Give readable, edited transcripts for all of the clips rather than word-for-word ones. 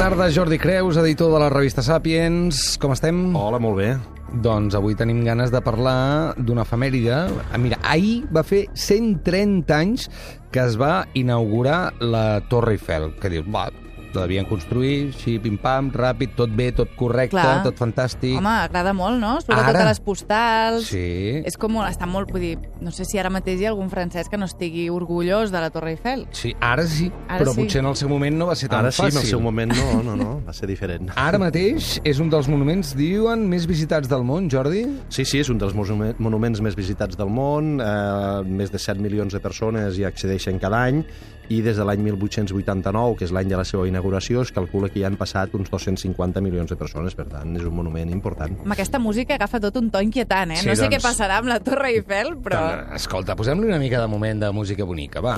tarda, Jordi Creus, editor de la revista Sàpiens. Com estem? Hola, molt bé. Doncs avui tenim ganes de parlar d'una efemèride. Mira, ahir va fer 130 anys que es va inaugurar la Torre Eiffel. Que dius, va, la devien construir, així, pim-pam, ràpid, tot bé, tot correcte, Clar. tot fantàstic. Home, agrada molt, no? Surt a Ara? totes les postals. Sí. És com, està molt, vull dir, no sé si ara mateix hi ha algun francès que no estigui orgullós de la Torre Eiffel. Sí, ara sí, Ara però sí. potser en el seu moment no va ser tan Ara sí, fàcil. en el seu moment no, va ser diferent. Ara mateix és un dels monuments, diuen, més visitats del món, Jordi? Sí, és un dels monuments més visitats del món, més de 7 milions de persones hi accedeixen cada any, i des de l'any 1889, que és l'any de la seva inauguració, es calcula que hi han passat uns 250 milions de persones, per tant, és un monument important. Amb aquesta música agafa tot un to inquietant, eh? Sí, No sé què doncs- passarà amb la Torre Eiffel, però... Doncs, escolta, posem-li una mica de moment de música bonica, va.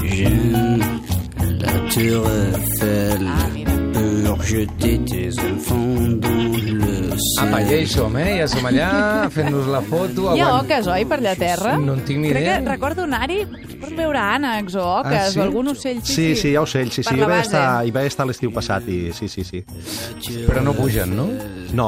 J'aime la Tour Eiffel Ah, mira. pour jeter tes enfants dans le Apa, ja ciel. hi som, ja som allà, fent-nos la foto. Hi ha oques, oi, per allà a terra? No en tinc ni Crec idea. que recordo anar-hi, pots veure ànecs o oques Ah, sí? o algun ocell. Sí, hi ha ocells, sí. Per Hi la va base. estar l'estiu passat, i sí. Però no pugen, no?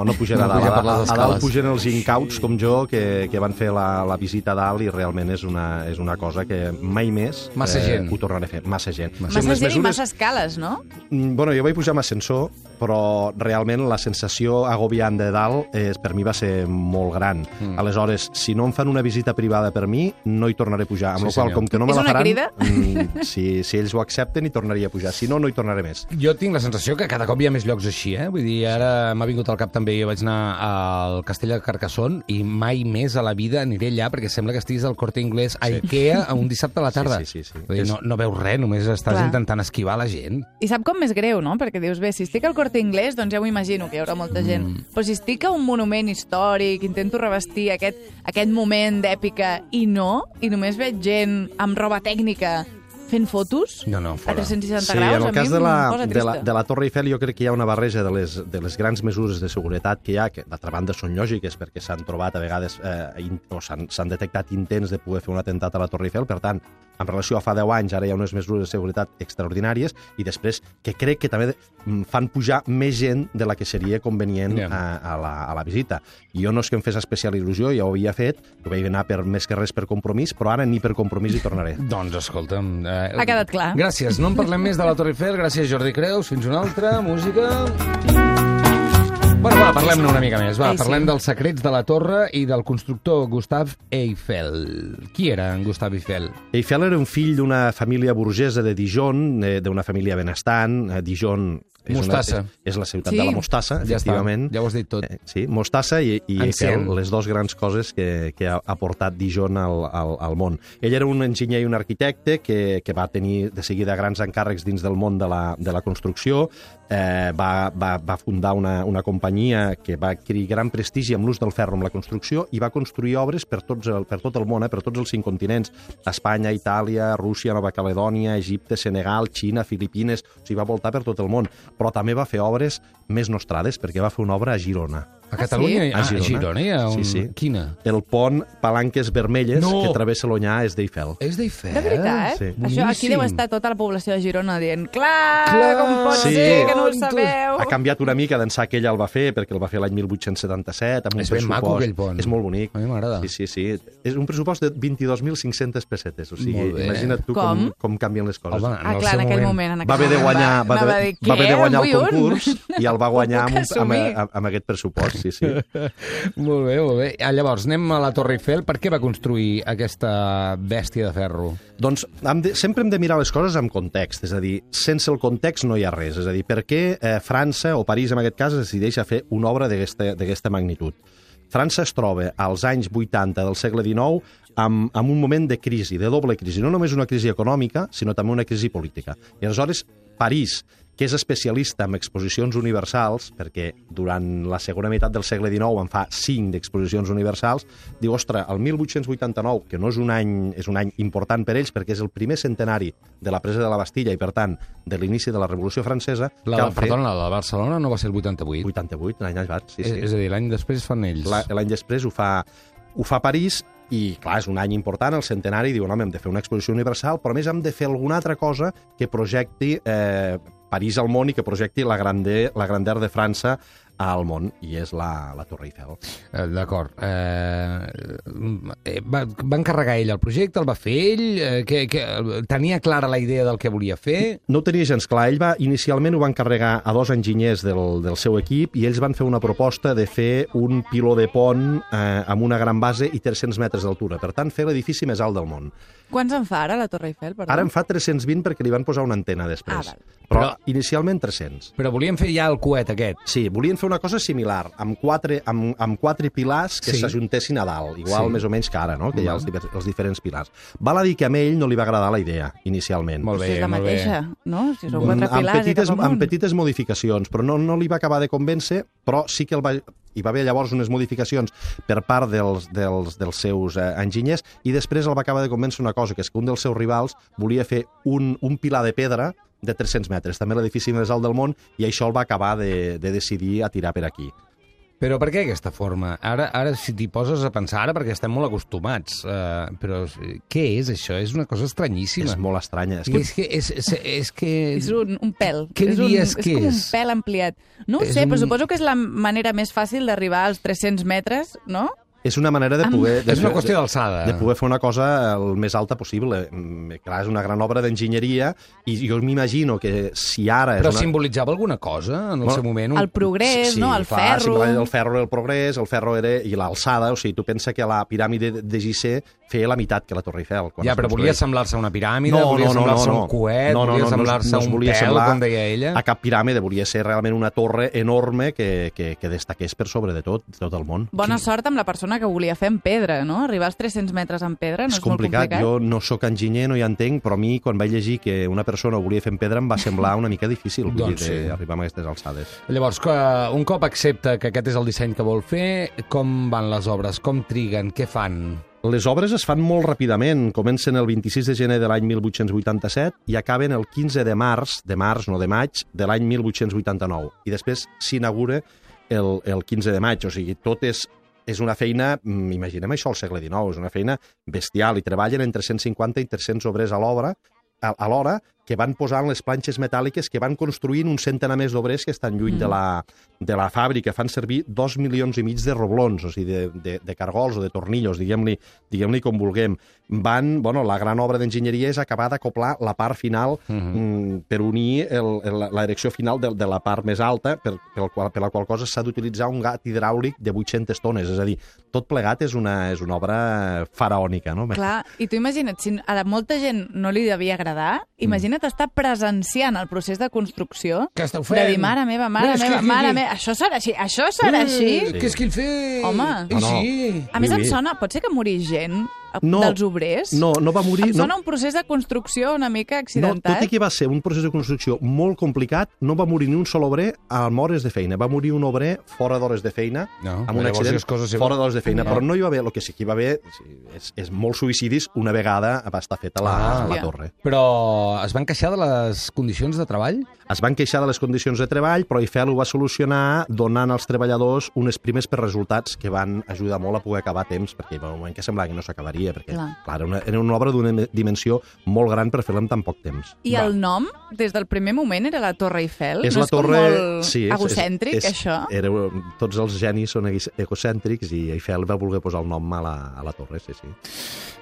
No pugen a No dalt. pugen per les A escales. dalt pugen els incauts, com jo, que van fer la visita a dalt, i realment és una cosa que mai més Massa gent. ho tornaré a fer. Massa gent. Massa Sí, amb les gent i mesures- massa escales, no? Bueno, jo vaig pujar amb ascensor, però realment la sensació agobiant de dalt per mi va ser molt gran. Aleshores, si no em fan una visita privada per mi, no hi tornaré a pujar. Amb Sí, la qual, senyor. com que no me És la una faran, crida? si ells ho accepten, hi tornaria a pujar. Si no, no hi tornaré més. Jo tinc la sensació que cada cop hi ha més llocs així, Vull dir, ara m'ha vingut al cap també, jo vaig anar al Castell de Carcassonne i mai més a la vida aniré allà perquè sembla que estiguis al Corte Inglés a Ikea a un dissabte a la tarda. Sí. Vull dir, no veus res, només estàs Clar. intentant esquivar la gent. I sap com més greu, no? Perquè dius, bé, si estic al Corte Inglés, doncs ja m'ho imagino que hi haurà molta gent. Però si estic a un monument històric, intento revestir aquest moment d'èpica i només veig gent amb roba tècnica fent fotos No, a fora. 360 Sí, graus, en a el cas mi de em la, posa trista. de la Torre Eiffel jo crec que hi ha una barreja de les grans mesures de seguretat que hi ha, que d'altra banda són lògiques perquè s'han trobat a vegades o s'han detectat intents de poder fer un atemptat a la Torre Eiffel, per tant, en relació a fa 10 anys, ara hi ha unes mesures de seguretat extraordinàries, i després que crec que també fan pujar més gent de la que seria convenient a la visita. I jo no és que em fes especial il·lusió, ja ho havia fet, ho vaig anar més que res per compromís, però ara ni per compromís hi tornaré. Doncs escolta'm... Ha quedat clar. Gràcies, no en parlem més de la Torre Eiffel. Gràcies, Jordi Creus. Fins una altra. Música... Bueno, va, parlem-ne una mica més. Va, Ei, sí. parlem dels secrets de la torre i del constructor Gustave Eiffel. Qui era en Gustave Eiffel? Eiffel era un fill d'una família burgesa de Dijon, d'una família benestant. Dijon Mostassa. és la ciutat Sí. de la mostassa, Ja està, efectivament. ja ho has dit tot. Sí, mostassa i Encén. Eiffel, les dues grans coses que ha portat Dijon al món. Ell era un enginyer i un arquitecte que va tenir de seguida grans encàrrecs dins del món de la construcció. Va fundar una companyia que va adquirir gran prestigi amb l'ús del ferro en la construcció i va construir obres per tot el món, per tots els 5 continents: Espanya, Itàlia, Rússia, Nova Caledònia, Egipte, Senegal, Xina, Filipines. O sigui, va voltar per tot el món. Però també va fer obres més nostrades, perquè va fer una obra a Girona. A Catalunya? sí? A Girona hi ha un... Sí. Quina? El pont Palanques Vermelles, No! que travessa l'Onyar, és d'Eiffel. És d'Eiffel? De veritat? Sí. Això aquí deu estar tota la població de Girona dient clar, com pot Sí. ser que no ho Tontos. Ha sabeu? canviat una mica d'ençà que ell el va fer, perquè el va fer l'any 1877, amb un És ben pressupost... maco, aquell pont. És molt bonic. A mi m'agrada. Sí. És un pressupost de 22.500 pessetes. O sigui, Molt bé. imagina't tu com canvien les coses. Home, Ah, clar, en aquell moment. Va haver de guanyar, va haver de guanyar el concurs i el va guanyar puc assumir. amb aquest pressupost, sí. Molt bé, molt bé. Llavors, anem a la Torre Eiffel. Per què va construir aquesta bèstia de ferro? Doncs sempre hem de mirar les coses amb context, és a dir, sense el context no hi ha res. És a dir, per què França, o París en aquest cas, es decideix a fer una obra d'aquesta magnitud? França es troba als anys 80 del segle XIX amb un moment de crisi, de doble crisi. No només una crisi econòmica, sinó també una crisi política. I aleshores, París, que és especialista en exposicions universals, perquè durant la segona meitat del segle XIX en fa 5 d'exposicions universals, diu, ostres, el 1889, que no és un any important per ells, perquè és el primer centenari de la presa de la Bastilla i, per tant, de l'inici de la Revolució Francesa... La de Barcelona no va ser el 88? 88, l'any abans, sí. És a dir, l'any després fan ells. L'any després ho fa París, i, clar, és un any important, el centenari, diuen, home, hem de fer una exposició universal, però a més hem de fer alguna altra cosa que projecti París al món i que projecti la grandeur de França al món, i és la Torre Eiffel. D'acord. Va encarregar ell el projecte, el va fer ell? Tenia clara la idea del que volia fer? No ho tenia gens clar. Ell inicialment ho va encarregar a 2 enginyers del seu equip i ells van fer una proposta de fer un piló de pont amb una gran base i 300 metres d'altura. Per tant, fer l'edifici més alt del món. Quants en fa ara, la Torre Eiffel? Perdó? Ara en fa 320 perquè li van posar una antena després. Val. Però inicialment 300. Però volien fer ja el coet aquest. Sí, volien fer una cosa similar, amb 4 pilars que s'ajuntessin a dalt, igual més o menys que ara, no? Que hi ha els diferents pilars. Val a dir que a ell no li va agradar la idea, inicialment. Molt bé, és la molt mateixa, bé. no? Si són 4 pilars i cap amunt. Amb petites modificacions, però no li va acabar de convèncer, però sí que hi va haver llavors unes modificacions per part dels seus enginyers i després el va acabar de convèncer una cosa, que és que un dels seus rivals volia fer un pilar de pedra de 300 metres, també l'edifici més alt del món, i això el va acabar de decidir a tirar per aquí. Però per què aquesta forma? Ara si t'hi poses a pensar, ara perquè estem molt acostumats, però què és això? És una cosa estranyíssima. És molt estranya. És que... És un pèl. Què diries que és? És com un pèl ampliat. No ho sé, però suposo que és la manera més fàcil d'arribar als 300 metres, no? És una manera de poder... És una qüestió d'alçada. De poder fer una cosa el més alta possible. Clar, és una gran obra d'enginyeria i jo m'imagino que si ara... Però simbolitzava alguna cosa en el seu moment? El progrés, no? El ferro... El ferro era el progrés, el ferro era... I l'alçada, o sigui, tu pensa que la piràmide de Gizeh feia la meitat que la Torre Eiffel. Ja, però volia semblar-se a una piràmide, volia semblar-se a un coet, volia semblar-se a un pèl, com deia ella. A cap piràmide, volia ser realment una torre enorme que destaqués per sobre de tot el món. Bona sort amb la persona que volia fer en pedra, no? Arribar als 300 metres en pedra no és molt complicat. Jo no sóc enginyer, no hi entenc, però a mi, quan vaig llegir que una persona ho volia fer en pedra, em va semblar una mica difícil arribar a aquestes alçades. Llavors, un cop accepta que aquest és el disseny que vol fer, com van les obres? Com triguen? Què fan? Les obres es fan molt ràpidament. Comencen el 26 de gener de l'any 1887 i acaben el 15 de març, no de maig, de l'any 1889. I després s'inaugura el 15 de maig. O sigui, tot és una feina, imaginem això al segle XIX, és una feina bestial i treballen entre 150 i 300 obrers a l'hora que van posant les planxes metàl·liques, que van construint un centenar més d'obrers que estan lluny de la fàbrica. Fan servir 2,5 milions de roblons, o sigui, de cargols o de tornillos, diguem-li com vulguem. La gran obra d'enginyeria és acabar d'acoplar la part final per unir la direcció final de la part més alta, per la qual cosa s'ha d'utilitzar un gat hidràulic de 800 tones. És a dir, tot plegat és una obra faraònica, no? Clar, i tu imagina't, si a molta gent no li devia agradar, imagina't estar presenciant el procés de construcció. Què esteu fent? De dir, mare meva, això serà així, això serà així. Què és que el fet? Home, sí. A més em sona, pot ser que morís gent dels obrers? No va morir. Em sona un procés de construcció una mica accidentat. No, tot i que va ser un procés de construcció molt complicat, no va morir ni un sol obrer amb hores de feina. Va morir un obrer fora d'hores de feina, amb un accident fora d'hores de feina. Però no hi va haver, el que sí que hi va haver és molts suïcidis una vegada va estar feta la torre. Però es van queixar de les condicions de treball? Es van queixar de les condicions de treball, però Eiffel ho va solucionar donant als treballadors unes primes per resultats que van ajudar molt a poder acabar a temps, perquè hi va un moment que semblava que no s'acabaria, perquè clar, era una obra d'una dimensió molt gran per fer-la en tan poc temps. I el nom, des del primer moment, era la Torre Eiffel? És no la torre, molt egocèntric, això? Tots els genis són egocèntrics i Eiffel va voler posar el nom a la torre, sí.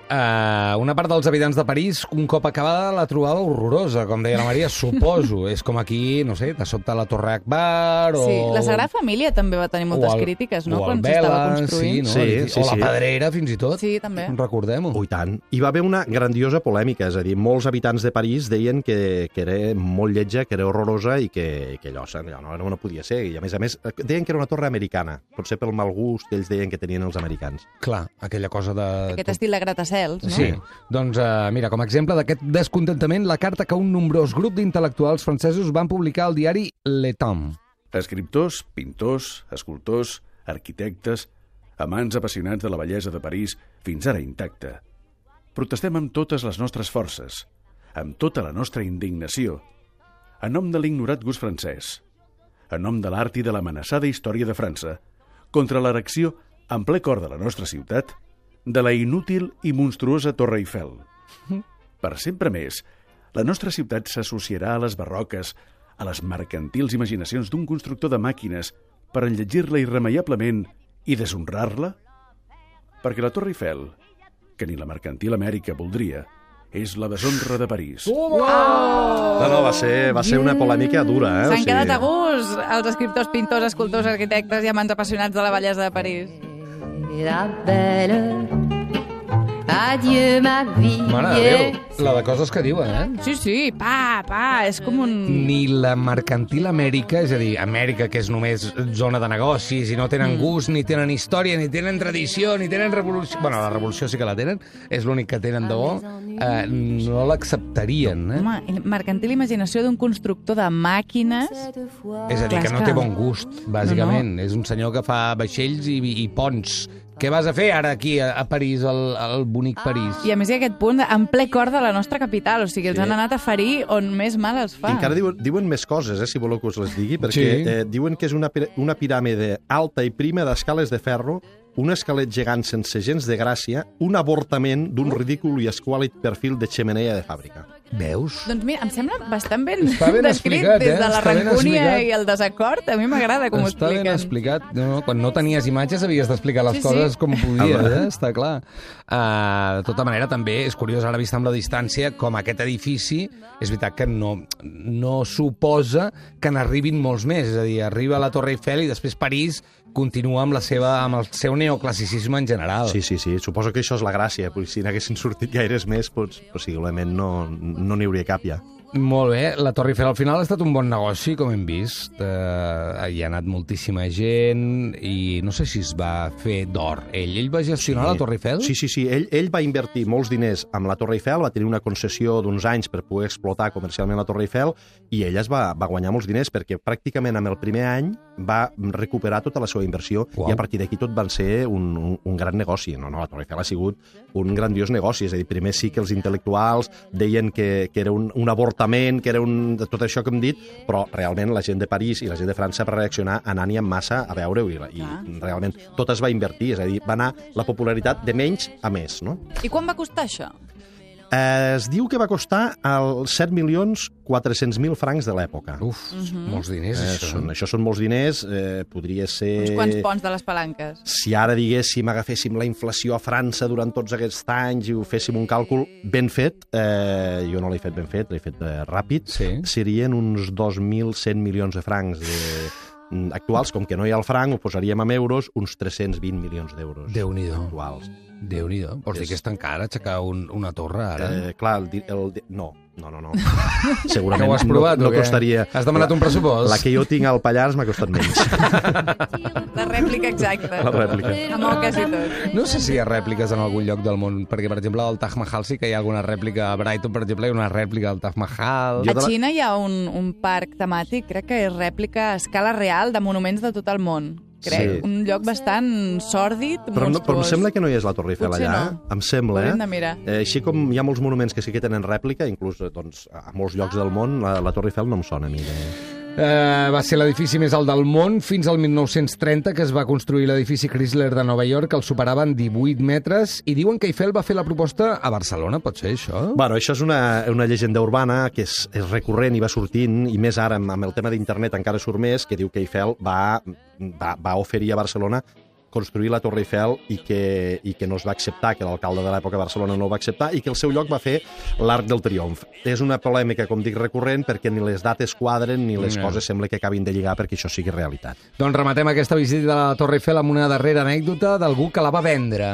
Una part dels habitants de París, un cop acabada, la trobava horrorosa, com deia la Maria, suposo. És com aquí, no sé, de sobte la Torre Akbar o... Sí, la Sagrada Família també va tenir moltes crítiques, no?, quan s'estava construint. O la Pedrera, fins i tot. Sí, també. Recordem-ho. I tant. Hi va haver una grandiosa polèmica, és a dir, molts habitants de París deien que era molt lletja, que era horrorosa i que allò no podia ser. I a més, deien que era una torre americana, potser pel mal gust que ells deien que tenien els americans. Clar, aquella cosa de... Aquest estil de gratacels, no? Sí. Doncs, mira, com a exemple d'aquest descontentament, la carta que un nombrós grup d'intel·lectuals francesos van publicar al diari Le Temps. Escriptors, pintors, escultors, arquitectes, amants apassionats de la bellesa de París, fins ara intacta. Protestem amb totes les nostres forces, amb tota la nostra indignació, en nom de l'ignorat gust francès, en nom de l'art i de l'amenaçada història de França, contra l'erecció en ple cor de la nostra ciutat, de la inútil i monstruosa Torre Eiffel. Per sempre més, la nostra ciutat s'associarà a les barroques, a les mercantils imaginacions d'un constructor de màquines per enlletgir-la irremeiablement i deshonrar-la? Perquè la Torre Eiffel, que ni la mercantil Amèrica voldria, és la deshonra de París. No, va ser una polèmica dura, S'han quedat a gust els escriptors, pintors, escultors, arquitectes i amants apassionats de la bellesa de París. La belle, adieu ma vie. Mare de Déu, la de coses que diuen, Sí, és com un... Ni la mercantil Amèrica, és a dir, Amèrica, que és només zona de negocis, i no tenen gust, ni tenen història, ni tenen tradició, ni tenen revolució... Bueno, la revolució sí que la tenen, és l'únic que tenen de bo, no l'acceptarien, Home, mercantil imaginació d'un constructor de màquines... És a dir, que no té bon gust, bàsicament. És un senyor que fa vaixells i ponts. Què vas a fer ara aquí a París, al bonic París? I a més hi ha aquest punt en ple cor de la nostra capital, o sigui, els han anat a ferir on més mal els fa. I encara diuen més coses, si voleu que us les digui, perquè diuen que és una piràmide alta i prima d'escales de ferro, un esquelet gegant sense gens de gràcia, un avortament d'un ridícul i esquàlid perfil de xemeneia de fàbrica. Veus? Doncs mira, em sembla bastant ben Està ben descrit, explicat, des de la Està ben rancúnia explicat. i el desacord. A mi m'agrada com ho Està ben expliquen. explicat. No, quan no tenies imatges havies d'explicar les coses com podies, està clar. De tota manera, també és curiós ara vist amb la distància com aquest edifici, és veritat que no suposa que n'arribin molts més. És a dir, arriba la Torre Eiffel i després París continua amb el seu neoclassicisme en general. Sí, suposo que això és la gràcia, perquè si n'haguessin sortit gaires més, possiblement no n'hi hauria cap ja. Molt bé, la Torre Eiffel al final ha estat un bon negoci, com hem vist. Hi ha anat moltíssima gent i no sé si es va fer d'or. Ell va gestionar la Torre Eiffel? Sí. Ell va invertir molts diners amb la Torre Eiffel, va tenir una concessió d'uns anys per poder explotar comercialment la Torre Eiffel i ell va guanyar molts diners perquè pràcticament amb el primer any va recuperar tota la seva inversió i a partir d'aquí tot van ser un gran negoci. No, la Torre Eiffel ha sigut un grandiós negoci. És a dir, primer sí que els intel·lectuals deien que era un avortament, que era tot això que hem dit, però realment la gent de París i la gent de França va reaccionar anant-hi amb massa a veure-ho i realment tot es va invertir, és a dir, va anar la popularitat de menys a més, no? I quan va costar això? Es diu que va costar els 7.400.000 francs de l'època. Molts diners, això. Això són molts diners, podria ser... Uns quants ponts de les palanques. Si ara diguéssim, agaféssim la inflació a França durant tots aquests anys i ho féssim un càlcul ben fet, jo no l'he fet ben fet, l'he fet ràpid, serien uns 2.100 milions de francs actuals, com que no hi ha el franc, ho posaríem en euros, uns 320 milions d'euros. Déu-n'hi-do. Actuals. Déu-n'hi-do. Vols dir que és tan car aixecar una torre, ara? Clar, no. Segurament que ho has provat, no costaria... Has demanat un pressupost? La que jo tinc al Pallars m'ha costat menys. La rèplica exacta. La rèplica. Amb quasi tot. No sé si hi ha rèpliques en algun lloc del món, perquè, per exemple, al Taj Mahal sí que hi ha alguna rèplica. A Brighton, per exemple, hi ha una rèplica del Taj Mahal. A Xina hi ha un parc temàtic, crec que és rèplica a escala real de monuments de tot el món. Crec, un lloc bastant sòrdid, monstruós. Però em sembla que no hi és la Torre Eiffel Potser allà. no. Em sembla, Hauríem de mirar. Així com hi ha molts monuments que sí que tenen rèplica, inclús doncs, a molts llocs del món, la Torre Eiffel no em sona a mi. Va ser l'edifici més alt del món fins al 1930, que es va construir l'edifici Chrysler de Nova York, que el superava en 18 metres, i diuen que Eiffel va fer la proposta a Barcelona, pot ser això? Bueno, això és una llegenda urbana que és recurrent i va sortint, i més ara amb el tema d'internet encara surt més, que diu que Eiffel va oferir a Barcelona construir la Torre Eiffel i que no es va acceptar, que l'alcalde de l'època de Barcelona no ho va acceptar i que el seu lloc va fer l'Arc del Triomf. És una polèmica, com dic, recurrent perquè ni les dates quadren ni les coses sembla que acabin de lligar perquè això sigui realitat. Doncs rematem aquesta visita a la Torre Eiffel amb una darrera anècdota d'algú que la va vendre.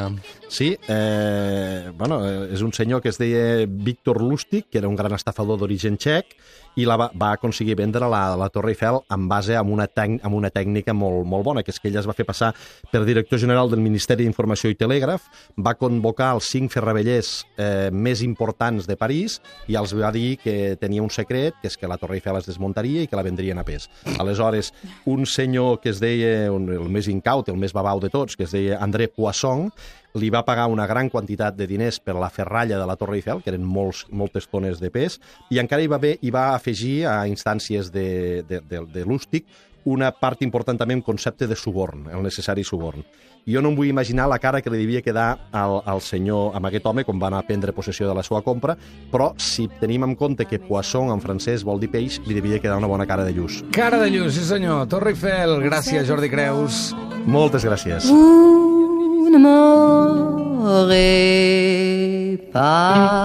Sí, és un senyor que es deia Víctor Lustig, que era un gran estafador d'origen txec, i va aconseguir vendre la Torre Eiffel en base a una tècnica molt bona, que és que ell es va fer passar per director general del Ministeri d'Informació i Telègraf, va convocar els 5 ferravellers més importants de París i els va dir que tenia un secret, que és que la Torre Eiffel es desmuntaria i que la vendrien a pes. Aleshores, un senyor que es deia, el més incaut, el més babau de tots, que es deia André Poisson, li va pagar una gran quantitat de diners per la ferralla de la Torre Eiffel, que eren moltes tones de pes, i encara hi va afegir a instàncies de Lustig una part important també en concepte de suborn, el necessari suborn. Jo no em vull imaginar la cara que li devia quedar al senyor, amb aquest home, quan va anar a prendre possessió de la seva compra, però si tenim en compte que poisson en francès vol dir peix, li devia quedar una bona cara de lluç. Cara de lluç, sí senyor. Torre Eiffel, gràcies Jordi Creus. Moltes gràcies. Vous ne m'aurez pas